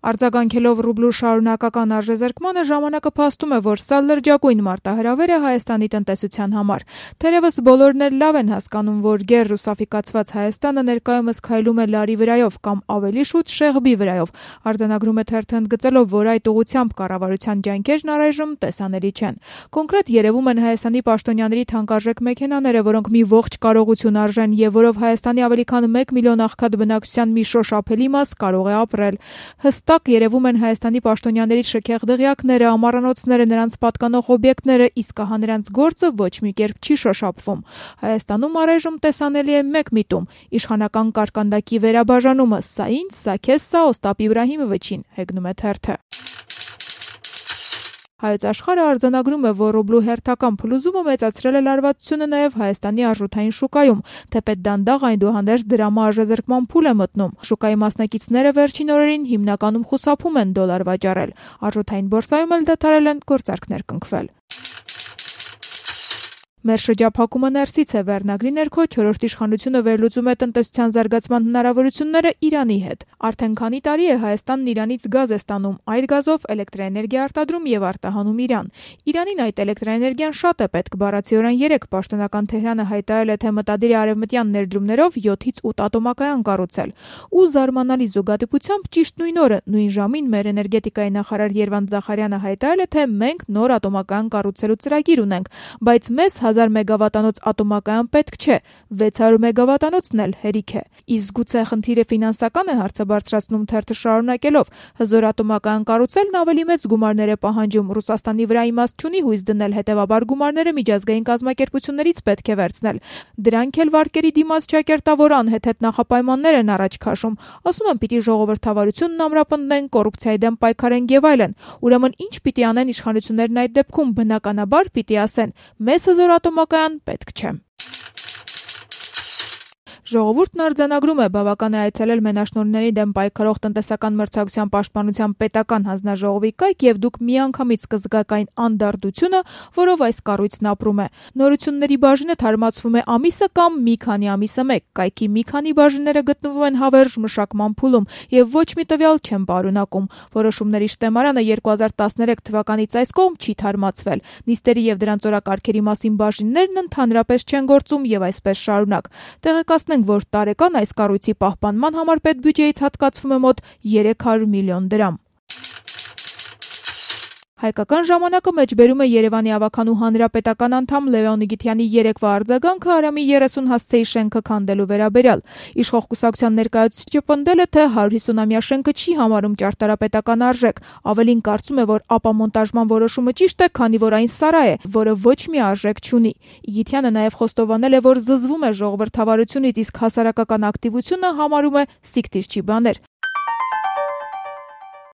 Արձագանքելով ռուբլու շարունակական արժեզրկմանը, ժամանակը փաստում է, որ սա լրջագույն մարտահրավեր է Հայաստանի տնտեսության համար։ Թերևս բոլորն էլ լավ են հասկանում, որ գեր-ռուսաֆիկացված Հայաստանը ներկայումս քայլում է լարի վրայով կամ ավելի շուտ շեղբի վրայով։ Արձանագրում է թերթը ընդգծելով, որ այդ ուղղությամբ կառավարության ջանքերն առայժմ տեսանելի չեն։ Կոնկրետ երևում են Հայաստանի պաշտոնյաների թանկարժեք մեքենաները, որոնք մի ողջ կարողություն արժեն եւ որով Հայաստանի ավելի քան 1 միլիոն աղքատ բնակչության մի շոշափելի մաս կարող է ապրել։ Հստակ երևում են Հայաստանի պաշտոնյաների շքեղ դղյակները, ամառանոցները, նրանց պատկանող օբյեկտները, իսկ ահա նրանց գործը ոչ մի կերպ չի շոշափվում։ Հայաստանում առայժմ տեսանելի է մեկ միտում՝ իշխանական կարկանդակի վերաբաժանումը։ Սա ինձ, սա քեզ, սա Օստապ Իբրահիմովիչին, հեգնում է թերթը։ Հայոց աշխարհը արձանագրում է, որ ռուբլու հերթական փլուզումը մեծացրել է լարվածությունը նաև Հայաստանի արժութային շուկայում, թեպետ դանդաղ այնուհանդերձ դրամի արժեզրկման փուլ է մտնում։ Շուկայի մասնակիցները վերջին օրերին հիմնականում խուսափում են դոլար վաճառել։ Արժութային բորսայում էլ դադարել են գործարքներ կնքվել։ Մեր շրջափակումը ներսից է վերնագրի ներքո չորրորդ իշխանությունը վերլուծում է տնտեսության զարգացման հնարավորությունները Իրանի հետ։ Արդեն քանի տարի է Հայաստանն Իրանից գազ է ստանում, այդ գազով էլեկտրաէներգիա արտադրում եւ արտահանում Իրան։ Իրանին այդ էլեկտրաէներգիան շատ է պետք, բառացիորեն 3 պաշտոնական Թեհրանը հայտարարել է, թե մտադիր է արևմտյան ներդրումներով 7-ից 8 ատոմակայան կառուցել։ Ու զարմանալի զուգադիպությամբ ճիշտ նույն օրը, նույն ժամին մեր էներգետիկայի նախարար Երվանդ Զախարյանը հայտարարել է, թե մենք նոր ատոմակայան կառուցելու ծրագիր ունենք, բայց մեզ 1000 մեգավատանոց ատոմակայան պետք չէ, 600 մեգավատանոցն էլ հերիք է։ Իսկ գուցե խնդիրը ֆինանսական է, հարցը բարձրացնում թերթը շարունակելով։ Հզոր ատոմակայան կառուցելն ավելի մեծ գումարներ է պահանջում, Ռուսաստանի վրա իմաստ չունի հույս դնել, հետևաբար գումարները միջազգային կազմակերպություններից պետք է վերցնել։ Դրանք էլ վարկերի դիմաց չակերտավոր անհեթեթ նախապայմաններ են առաջ քաշում։ Ասում են պիտի ժողովրդավարությունն ամրապնդեն, կոռուպցիայի դեմ պայքարեն եւ այլն։ Ուրեմն ինչ պիտի անեն իշխանություններն այդ դեպքում, բնականաբար պիտի ասեն. մեզ հզոր ատոմակայան պետք չէ։ Ժողովուրդն արձանագրում է, բավական է այցելել մենաշնորհների դեմ պայքարող տնտեսական մրցակցության պաշտպանության պետական հանձնաժողովի կայք եւ դուք միանգամից կզգաք այն անդարդությունը, որով այս կառույցն ապրում է։ Նորությունների բաժինը թարմացվում է ամիսը կամ մի քանի ամիսը մեկ։ Կայքի մի քանի բաժինները գտնվում են հավերժ մշակման փուլում եւ ոչ մի տվյալ չեն պարունակում։ Որոշումների շտեմարանը 2013 թվականից այս կողմ չի թարմացվել։ Նիստերի եւ դրանց օրակարգերի մասին բաժիններն ընդհանրապես չեն գործում եւ այսպես շարունակ։ Տեղեկացնենք, որ տարեկան այս կառույցի պահպանման համար պետբյուջեից հատկացվում է մոտ 300 միլիոն դրամ։ Հայկական ժամանակը մեջբերում է Երևանի ավականու հանրապետական անդամ Լևոն Նիգիթյանի երեկվա արձագանքը Արամի 30 հասցեի շենքը քանդելու վերաբերյալ։ Իշխող կուսակցության ներկայացուցիչը պնդել է, թե 150-ամյա շենքը չի համարում ճարտարապետական արժեք։ Ավելին կարծում է, որ ապամոնտաժման որոշումը ճիշտ է, քանի որ այն սարա է, որը ոչ մի արժեք չունի։ Նիգիթյանը նաև խոստովանել է, որ զզվում է ժողովրդավարությունից, իսկ հասարակական ակտիվությունը համարում է սիկտիրչի բաներ։